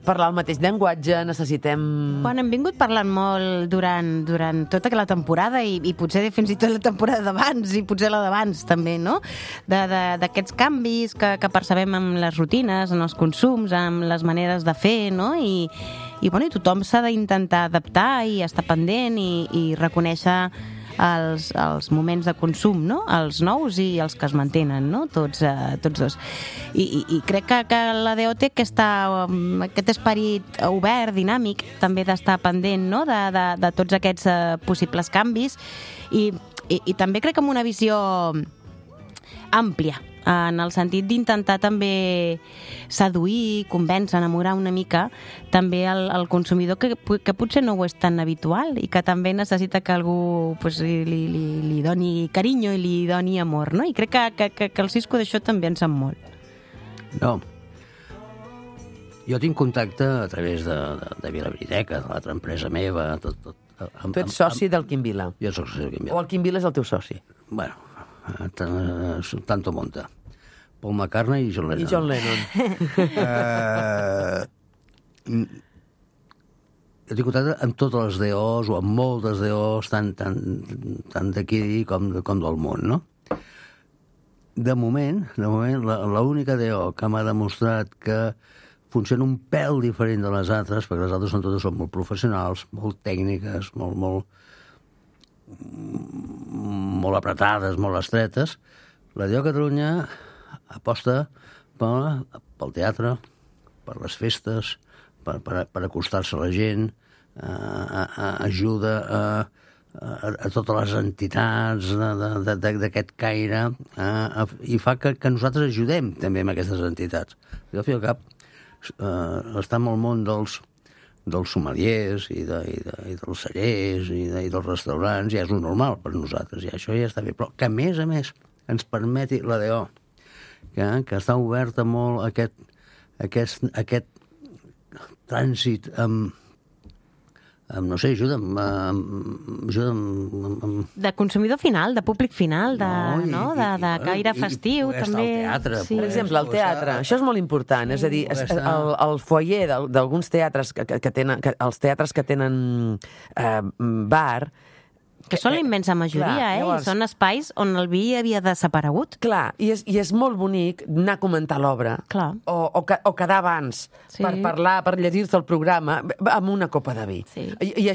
parlar el mateix llenguatge, necessitem... Bueno, hem vingut parlant molt durant tota la temporada i potser fins i tot la temporada d'abans i potser la d'abans també, no? D'aquests canvis que percebem amb les rutines, en els consums, amb les maneres de fer, no? I tothom s'ha d'intentar adaptar i estar pendent i reconèixer els moments de consum, no? Els nous i els que es mantenen, no? Tots dos. I crec que la DO té aquest esperit obert, dinàmic, també d'estar pendent, no? de tots aquests possibles canvis i també crec que amb una visió àmplia, en el sentit d'intentar també seduir, convèncer, enamorar una mica també el consumidor que potser no ho és tan habitual i que també necessita que algú pues, li doni carinyo i li doni amor, no? I crec que el Cisco d'això també en sap molt. No. Jo tinc contacte a través de Vilabriteca, de l'altra empresa meva, tot. Tu ets soci del Quim Vila. Jo soc soci del Quim Vila. O el Quim Vila és el teu soci? Bueno, tanto monta. Paul McCartney i John Lennon. I John Lennon. Jo tinc contacte amb totes les DOs o amb moltes DOs, tant d'aquí com del món, no? De moment, l'única DO que m'ha demostrat que funciona un pèl diferent de les altres, perquè les altres totes són molt professionals, molt tècniques, molt apretades, molt estretes. La DO Catalunya aposta pel teatre, per les festes, per acostar-se a la gent, ajuda a totes les entitats d'aquest caire i fa que nosaltres ajudem també amb aquestes entitats. Jo, al fi al cap, estar en el món dels sommeliers i dels cellers i dels restaurants ja és lo normal per nosaltres, i això ja està bé. Però que, a més, ens permeti la DO, que està oberta molt aquest trànsit amb no sé, ajuda amb... De consumidor final, de públic final, de caire festiu, també. Teatre, sí. Per exemple, el teatre, això és molt important, és a dir, el foyer d'alguns teatres que tenen, els teatres que tenen bar, que són la immensa majoria, llavors, són espais on el vi havia desaparegut. Clar, i és molt bonic anar a comentar l'obra, o quedar abans per parlar, per llegir-se el programa, amb una copa de vi. Sí. I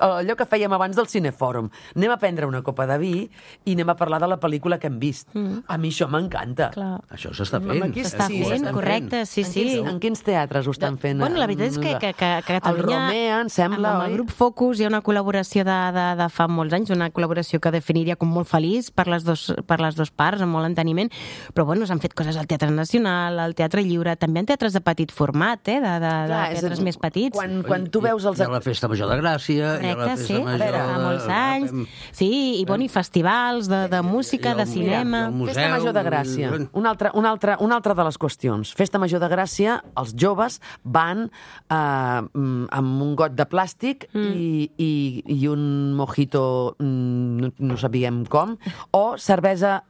allò que fèiem abans del cinefòrum, anem a prendre una copa de vi i anem a parlar de la pel·lícula que hem vist. A mi això m'encanta. Això s'està fent. S'està fent, correcte, sí. En quins teatres ho estan fent? Bueno, la veritat és que Catalunya... El Romea, em sembla, amb el grup Focus hi ha una col·laboració de fa molts anys, una col·laboració que definiria com molt feliç per les dues parts, amb molt enteniment, però bueno, s'han fet coses al Teatre Nacional, al Teatre Lliure, també en teatres de petit format, de teatres més petits. Quan tu veus els... Hi ha la Festa Major de Gràcia, hi ha la Festa Major... fa molts anys, sí, i festivals de música, de cinema... Festa Major de Gràcia, una altra de les qüestions. Festa Major de Gràcia, els joves van amb un got de plàstic i un mojito no sabíem com, o cervesa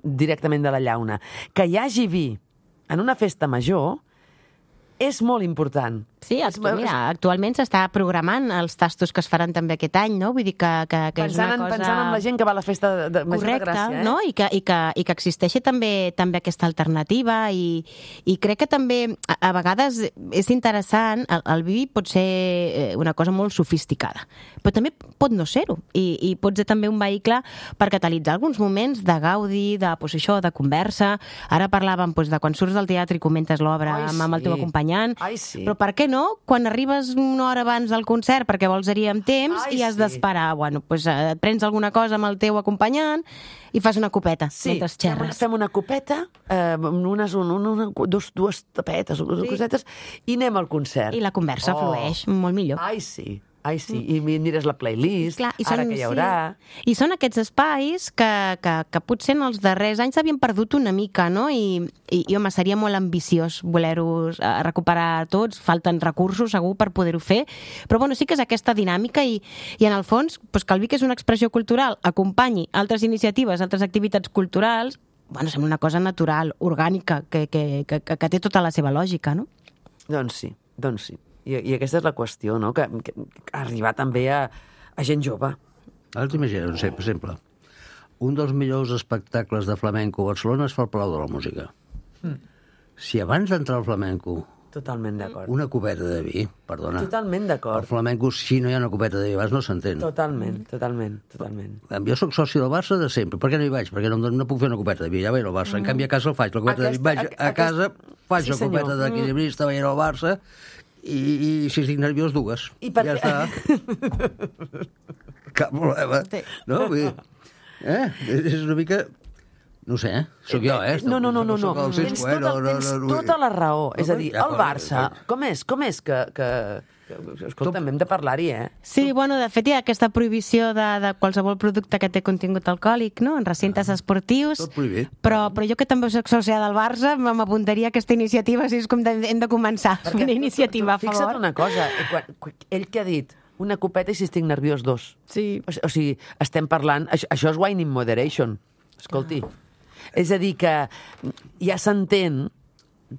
directament de la llauna. Que hi hagi vi en una festa major és molt important. Sí, mira, actualment s'està programant els tastos que es faran també aquest any, no? Vull dir que és una cosa... Pensant en la gent que va a la festa de Major de Gràcia, no? I que existeixi també aquesta alternativa i crec que també a vegades és interessant, el vi pot ser una cosa molt sofisticada, però també pot no ser-ho i pot ser també un vehicle per catalitzar alguns moments de gaudi, de conversa. Ara parlàvem de quan surts del teatre i comentes l'obra amb el teu acompanyant, però per què no? Quan arribes una hora abans del concert perquè vols anar amb temps i has d'esperar. Bueno, doncs et prens alguna cosa amb el teu acompanyant i fas una copeta mentre xerres. Fem una copeta, dues tapetes, cosetes, i anem al concert. I la conversa flueix molt millor. Ai, sí, i mires la playlist, clar, ara que hi haurà... I són aquests espais que potser en els darrers anys s'havien perdut una mica, no? I home, seria molt ambiciós voler-ho recuperar tots, falten recursos segur per poder-ho fer, però bueno, sí que és aquesta dinàmica i en el fons, que el vi, que és una expressió cultural, acompanyi altres iniciatives, altres activitats culturals, bueno, sembla una cosa natural, orgànica, que té tota la seva lògica, no? Doncs sí. I aquesta és la qüestió, no? Que arribar també a gent jove. Ara t'imagines, per exemple, un dels millors espectacles de flamenco a Barcelona es fa al Palau de la Música. Si abans d'entrar al flamenco Totalment d'acord. Una copeta de vi, perdona. Totalment El d'acord. flamenco, si no hi ha una copeta de vi, abans no s'entén. Totalment. Jo sóc soci del Barça de sempre. Per què no hi vaig? Perquè no puc fer una copeta de vi. Ja vaig al Barça. En canvi, a casa el faig. La copeta de vi. Vaig a casa, faig la copeta d'equilibrista, vaig al Barça i si estic nerviós, dues. I per ja què? està. Cap problema. No? Vull dir, és una mica... No sé, sóc jo, No. Tens tota la raó. És a dir, el Barça, com és que... Escolta'm, hem de parlar-hi, Sí, bueno, de fet hi ha aquesta prohibició de qualsevol producte que té contingut alcohòlic, no?, en recintes esportius. Tot prohibit. Però jo que també soc sòcia del Barça, m'apuntaria a aquesta iniciativa, si és com hem de començar. Una iniciativa a favor. Fixa't una cosa, ell que ha dit una copeta i si estic nerviós, dos. Sí. O sigui, estem parlant... Això és wine in moderation. Escolti. És a dir, que ja s'entén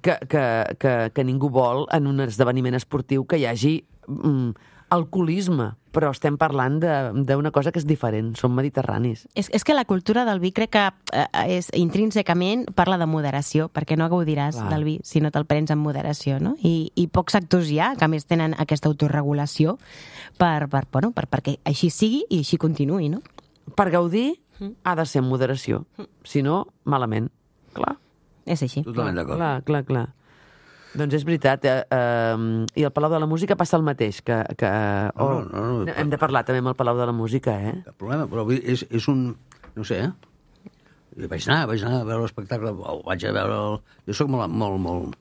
que ningú vol en un esdeveniment esportiu que hi hagi alcoholisme, però estem parlant d'una cosa que és diferent, som mediterranis. És que la cultura del vi crec que és intrínsecament parla de moderació, perquè no gaudiràs del vi si no te'l prens amb moderació, no? I pocs sectors hi ha, que a més tenen aquesta autorregulació perquè així sigui i així continuï, no? Per gaudir ha de ser amb moderació, si no, malament. Clar. És així. Totalment d'acord. Clar. Doncs és veritat. I al Palau de la Música passa el mateix. No. Hem de parlar també amb el Palau de la Música, Cap problema, però és un... No sé, Vaig anar a veure l'espectacle, vaig a veure... Jo soc molt...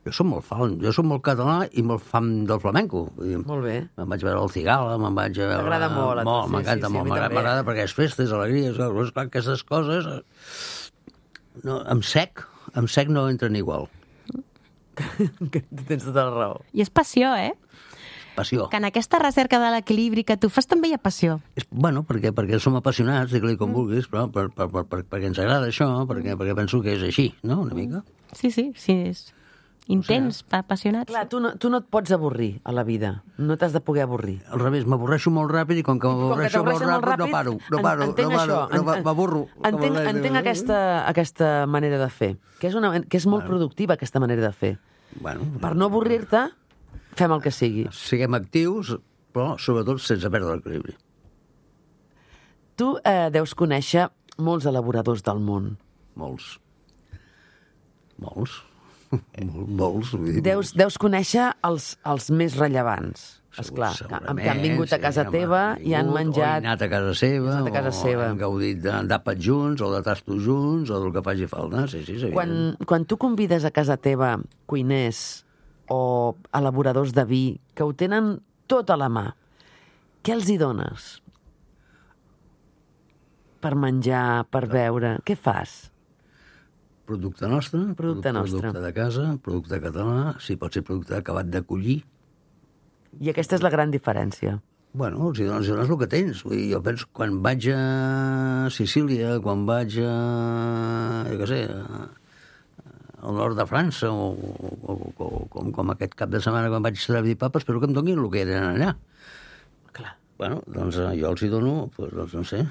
Jo soc molt fan, jo soc molt català i molt fan del flamenco. Molt bé. Me'n vaig veure el Cigala, me'n vaig a veure... M'agrada molt. M'encanta molt, m'agrada perquè és festes, alegries, clar, aquestes coses... No, amb sec no entren igual. Tens tota la raó. I és passió, Passió. Que en aquesta recerca de l'equilibri que tu fas també hi ha passió. Bueno, perquè som apassionats, digue-li com vulguis, però perquè ens agrada això, perquè penso que és així, no?, una mica. Sí, és intens, apassionat. Clar, tu no et pots avorrir a la vida. No t'has de poder avorrir. Al revés, m'avorreixo molt ràpid i com que m'avorreixo molt ràpid no paro, m'avorro. Entenc aquesta manera de fer, que és molt productiva, aquesta manera de fer. Per no avorrir-te, fem el que sigui. Siguem actius, però sobretot sense perdre l'equilibri. Tu deus conèixer molts elaboradors del món. Molts. Deus conèixer els més rellevants. Esclar, que han vingut a casa teva i han menjat... O han anat a casa seva, o han gaudit d'àpats junts, o de tastos junts, o del que faci falta. Sí, és evident. Quan tu convides a casa teva cuiners o elaboradors de vi que ho tenen tot a la mà, què els hi dones? Per menjar, per beure, què fas? Producte nostre, producte de casa, producte català, si pot ser producte acabat de collir. I aquesta és la gran diferència. Bueno, els dones el que tens. Vull dir, jo penso, quan vaig a Sicília, quan vaig a... jo què sé, al nord de França, o com aquest cap de setmana quan vaig a Serra-i-Papa, espero que em donin el que eren allà. Clar. Bueno, doncs jo els hi dono, doncs no sé,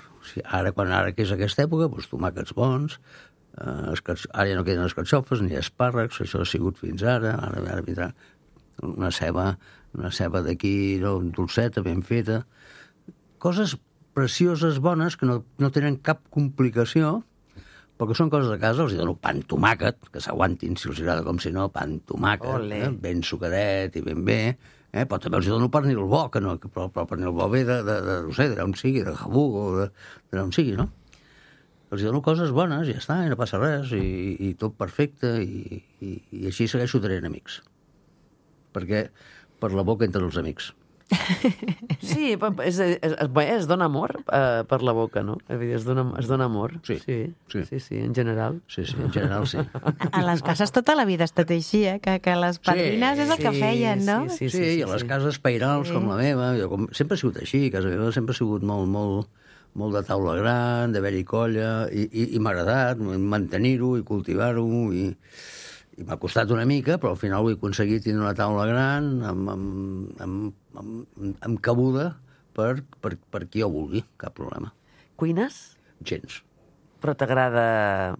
ara que és aquesta època, doncs tomàquets bons, ara ja no queden les carxofes ni espàrrecs, això ha sigut fins ara vindrà una ceba d'aquí, dolceta, ben feta, coses precioses, bones, que no tenen cap complicació, perquè són coses de casa. Els dono pa amb tomàquet, que s'aguantin, si els agrada, com si no, pa amb tomàquet, ben sucadet i ben bé, però també els dono pernil bo, però pernil bo ve no sé, d'on sigui, de Jabú o d'on sigui, no? Els dono coses bones, ja està, i no passa res, i tot perfecte, i així segueixo tenint amics. Perquè per la boca entren els amics. Sí, es dona amor per la boca, no? Es dona amor. Sí, en general. Sí, en general sí. A les cases tota la vida ha estat així, que les padrines és el que feien, no? Sí, i a les cases pairals com la meva, sempre ha sigut així, casa meva sempre ha sigut molt de taula gran, d'haver-hi colla, i m'ha agradat mantenir-ho i cultivar-ho, i m'ha costat una mica, però al final ho he aconseguit tenir una taula gran, amb cabuda per qui ho vulgui, cap problema. Cuines? Gens. Però t'agrada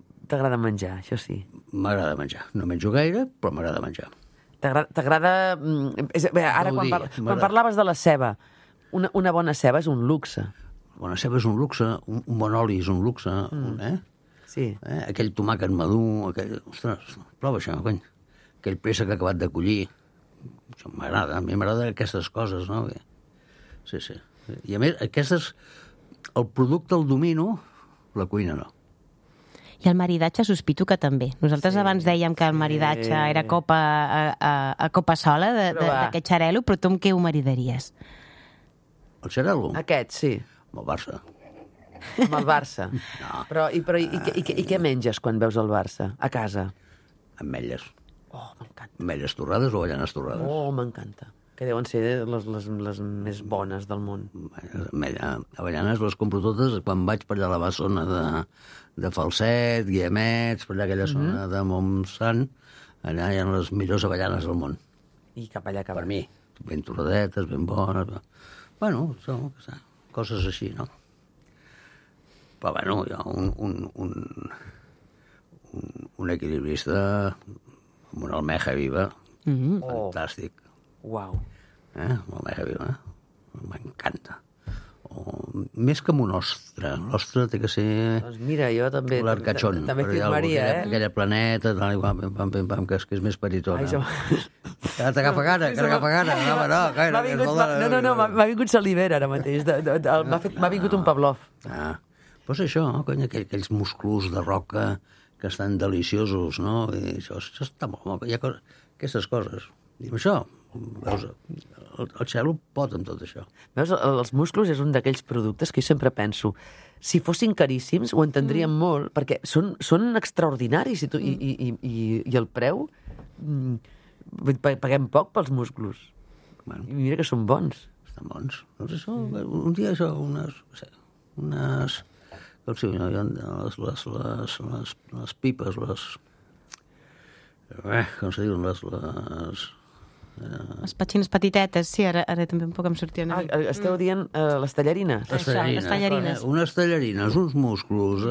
menjar, això sí. M'agrada menjar. No menjo gaire, però m'agrada menjar. T'agrada... Ara, quan parlaves de la ceba, una bona ceba és un luxe. Bona ceba és un luxe, un bon oli és un luxe, Sí. Aquell tomàquet madur, ostres, prova això, cony. Aquell préssec que ha acabat de collir. Això m'agrada, a mi m'agraden aquestes coses, no? Sí. I a més, el producte el domino, la cuina no. I el maridatge sospito que també. Nosaltres abans dèiem que el maridatge era a copa sola d'aquest xarel·lo, però tu amb què ho maridaries? El xarel·lo? Aquest, sí. Amb el Barça. Amb el Barça. No. Però i què menges quan veus el Barça? A casa? Ametlles. Oh, m'encanta. Ametlles torrades o avellanes torrades? Oh, m'encanta. Que deuen ser les més bones del món. Avellanes les compro totes quan vaig per allà a la zona de Falset, Guiamets, per allà aquella zona de Montsant. Allà hi ha les millors avellanes del món. I cap allà, per mi. Ben torradetes, ben bones. Bueno, són coses així, no? Però, bueno, hi ha un equilibrista amb una almeja viva fantàstic. Uau. L'almeja viva, m'encanta. Més que amb un ostre. L'ostre té que ser... Doncs mira, jo també... L'arcachón. També firmaria, Aquella planeta, que és més petitona. T'agafa gana. No, m'ha vingut salivera ara mateix. M'ha vingut un Pavlov. Doncs això, cony, aquells musclos de roca que estan deliciosos, no? I això està molt... Hi ha aquestes coses. I amb això, veus, el xelo pot amb tot això. Veus, els musclos és un d'aquells productes que jo sempre penso, si fossin caríssims ho entendríem molt, perquè són extraordinaris i el preu... Paguem poc pels musclos. I mira que són bons. Estan bons. Doncs això, un dia això, unes com si les pipes, com se diuen, les petxines petitetes, sí, ara també un poc em sortia una mica. Esteu dient les tallarines? Les tallarines. Unes tallarines, uns musclos,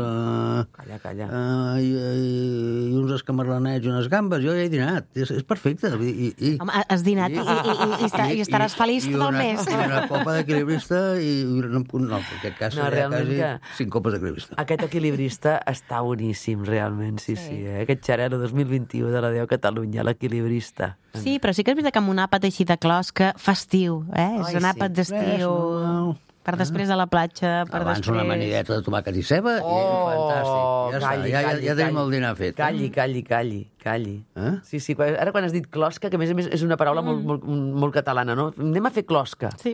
calla. I uns escamarlanets i unes gambes, jo ja he dinat, és perfecte. Home, has dinat i estaràs feliç tot el mes. I una copa d'equilibrista no, en aquest cas seria quasi 5 copes d'equilibrista. Aquest equilibrista està boníssim, realment, sí. Aquest xarel·lo 2021 de la Déu Catalunya, l'equilibrista. Sí, però sí que és veritat que amb un àpat així de closca, festiu, és un àpat d'estiu, per després de la platja, per abans després... una amanideta de tomàquet i ceba, i fantàstic. Ja tenim el dinar fet. Calli. Sí, ara quan has dit closca, que a més és una paraula molt catalana, no? Anem a fer closca. Sí.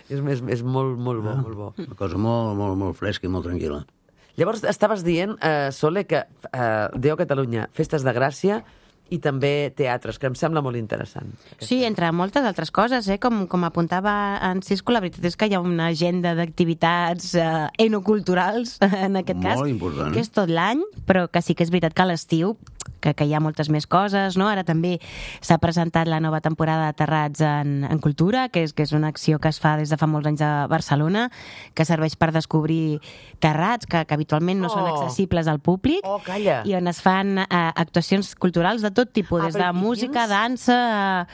És molt bo. Una cosa molt fresca i molt tranquil·la. Llavors, estaves dient, Sole, que Déu Catalunya, festes de Gràcia, i també teatres, que em sembla molt interessant. Sí, entre moltes altres coses, com apuntava en Cisco, la veritat és que hi ha una agenda d'activitats enoculturals, en aquest cas, molt important, que és tot l'any, però que sí que és veritat que a l'estiu que hi ha moltes més coses, no? Ara també s'ha presentat la nova temporada de Terrats en Cultura, que és una acció que es fa des de fa molts anys a Barcelona, que serveix per descobrir terrats que habitualment no són accessibles al públic, i on es fan actuacions culturals de tot tipus, des de música, dansa...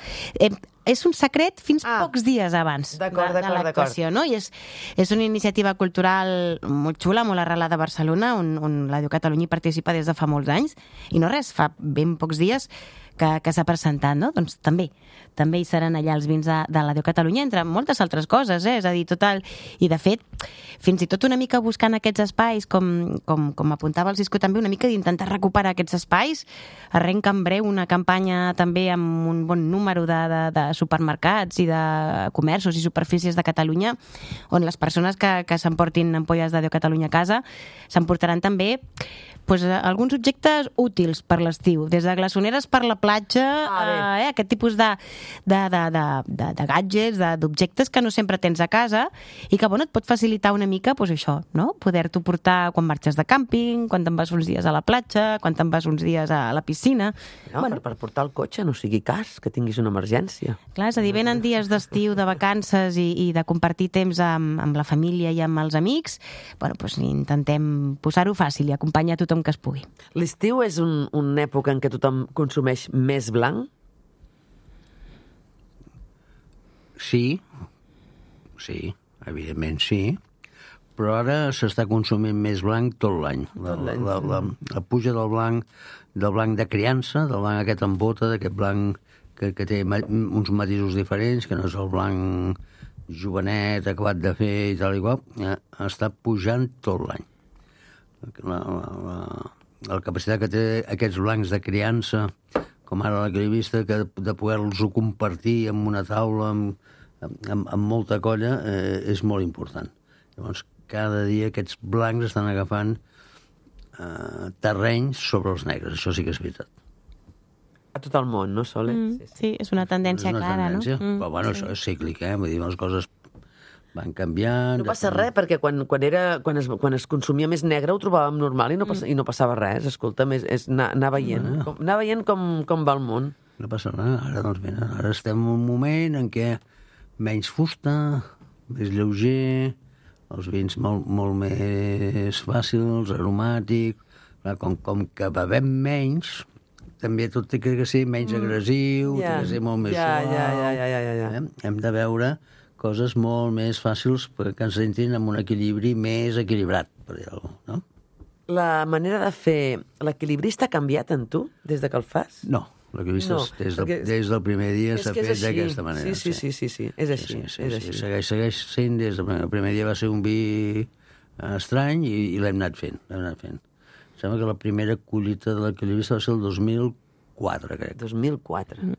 És un secret fins pocs dies abans de l'actuació, no? I és una iniciativa cultural molt xula, molt arrelada a Barcelona, on la Déu Catalunya hi participa des de fa molts anys, i no res, fa ben pocs dies que s'ha presentat, no? Doncs també hi seran allà els vins de la Déu Catalunya, entre moltes altres coses, és a dir, total... I, de fet, fins i tot una mica buscant aquests espais, com apuntava el Cisco també, una mica d'intentar recuperar aquests espais, arrenca en breu una campanya també amb un bon número de supermercats i de comerços i superfícies de Catalunya, on les persones que s'emportin ampolles de Déu Catalunya a casa s'emportaran també alguns objectes útils per l'estiu, des de glassoneres per la platja, aquest tipus de gadgets, d'objectes que no sempre tens a casa i que, et pot facilitar una mica, això, no? Poder-t'ho portar quan marxes de càmping, quan te'n vas uns dies a la platja, quan te'n vas uns dies a la piscina. No, per portar el cotxe no sigui cas, que tinguis una emergència. Clar, és a dir, venen dies d'estiu, de vacances i de compartir temps amb la família i amb els amics, intentem posar-ho fàcil i acompanyar tothom que es pugui. L'estiu és una època en què tothom consumeix més blanc? sí, evidentment sí, però ara s'està consumint més blanc tot l'any. La puja del blanc de criança, del blanc aquest en bota, d'aquest blanc que té uns matisos diferents, que no és el blanc jovenet, acabat de fer i tal i qual, està pujant tot l'any. La capacitat que té aquests blancs de criança, com ara l'equilibrista, que de poder-los compartir amb una taula, amb molta colla, és molt important. Llavors, cada dia aquests blancs estan agafant terrenys sobre els negres, això sí que és veritat. A tot el món, no, Sole? Sí, és una tendència clara, no? Però bueno, això és cíclic, vull dir, les coses van canviant... No passa res, perquè quan es consumia més negre ho trobàvem normal i no passava res. Escolta, és anar veient com va el món. No passa res. Ara, doncs, mira, ara estem en un moment en què menys fusta, més lleuger, els vins molt més fàcils, aromàtics... Com que bevem menys, també tot té que ser menys agressiu, té que ser molt més suau. Hem de veure coses molt més fàcils perquè ens entrin amb un equilibri més equilibrat, per dir-ho, no? La manera de fer l'equilibrista ha canviat en tu des de que el fas? No, l'equilibrista des del primer dia s'ha fet d'aquesta manera. Sí, és així. Segueix sent des del primer dia, va ser un vi estrany i l'hem anat fent. Sembla que la primera collita de l'equilibrista va ser el 2004, crec. 2004.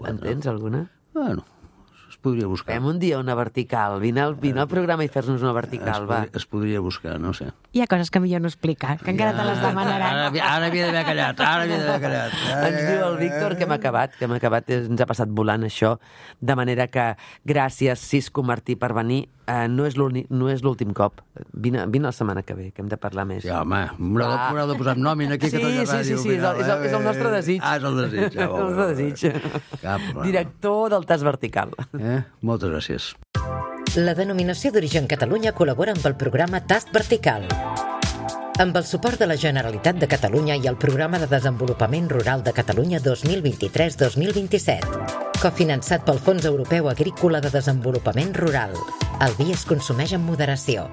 Entens alguna? Bueno, es podria buscar. Fem un dia una vertical. Vine al programa i fes-nos una vertical, va. Es podria buscar, no sé. Hi ha coses que millor no explicar, que encara te les demanaran. Ara havia d'haver callat, Ens diu el Víctor que hem acabat, ens ha passat volant això, de manera que gràcies, Cisco Martí, per venir. No és l'últim cop. Vine la setmana que ve, que hem de parlar més. Sí, home, m'haurà de posar nòmina aquí a Catalunya Ràdio. Sí, és el nostre desig. És el desig. És el nostre desig. Director del Tas Vertical. Moltes gràcies. La denominació d'origen Catalunya col·labora amb el programa Tast Vertical. Amb el suport de la Generalitat de Catalunya i el Programa de Desenvolupament Rural de Catalunya 2023-2027. Cofinançat pel Fons Europeu Agrícola de Desenvolupament Rural. El vi es consumeix amb moderació.